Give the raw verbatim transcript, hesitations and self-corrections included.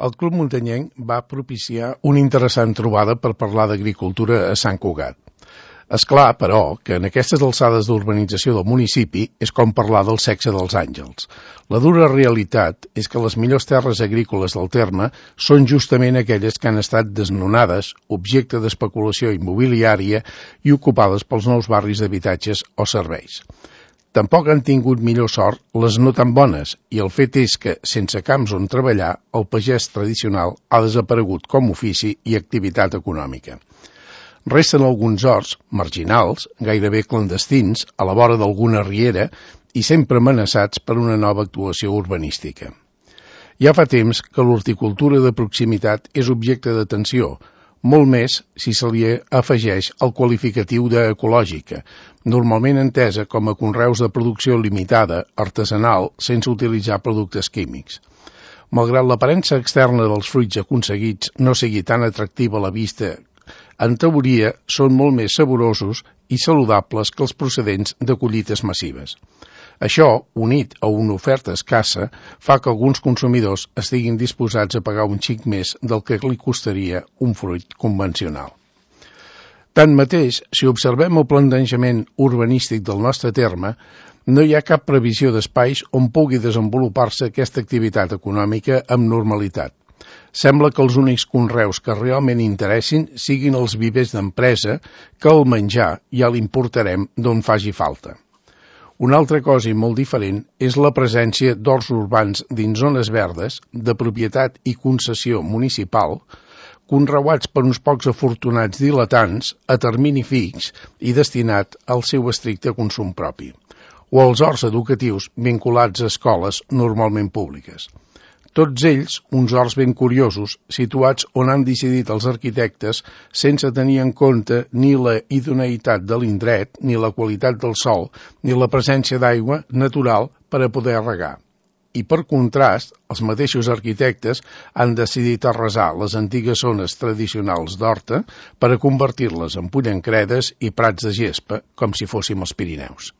El Club Muntanyenc va propiciar una interessant trobada per parlar d'agricultura a Sant Cugat. És clar, però, que en aquestes alçades d'urbanització del municipi és com parlar del sexe dels àngels. La dura realitat és que les millors terres agrícoles del terme són justament aquelles que han estat desnonades, objecte d'especulació immobiliària i ocupades pels nous barris d'habitatges o serveis. Tampoc han tingut millor sort les no tan bones, i el fet és que, sense camps on treballar, el pagès tradicional ha desaparegut com a ofici i activitat econòmica. Resten alguns horts, marginals, gairebé clandestins, a la vora d'alguna riera i sempre amenaçats per una nova actuació urbanística. Ja fa temps que l'horticultura de proximitat és objecte d'atenció, molt més si se li afegeix el qualificatiu d'ecològica, normalment entesa com a conreus de producció limitada, artesanal, sense utilitzar productes químics. Malgrat l'aparença externa dels fruits aconseguits no sigui tan atractiva a la vista, en teoria són molt més saborosos i saludables que els procedents de collites massives. Això, unit a una oferta escassa, fa que alguns consumidors estiguin disposats a pagar un xic més del que li costaria un fruit convencional. Tanmateix, si observem el plantejament urbanístic del nostre terme, no hi ha cap previsió d'espais on pugui desenvolupar-se aquesta activitat econòmica amb normalitat. Sembla que els únics conreus que realment interessin siguin els vivers d'empresa, que el menjar ja l'importarem d'on faci falta. Una altra cosa i molt diferent és la presència d'horts urbans dins zones verdes, de propietat i concessió municipal, conreuats per uns pocs afortunats diletants a termini fix i destinat al seu estricte consum propi, o els horts educatius vinculats a escoles normalment públiques. Tots ells, uns horts ben curiosos, situats on han decidit els arquitectes sense tenir en compte ni la idoneïtat de l'indret, ni la qualitat del sòl, ni la presència d'aigua natural per a poder regar. I per contrast, els mateixos arquitectes han decidit arrasar les antigues zones tradicionals d'horta per a convertir-les en pollancredes i prats de gespa, com si fóssim els Pirineus.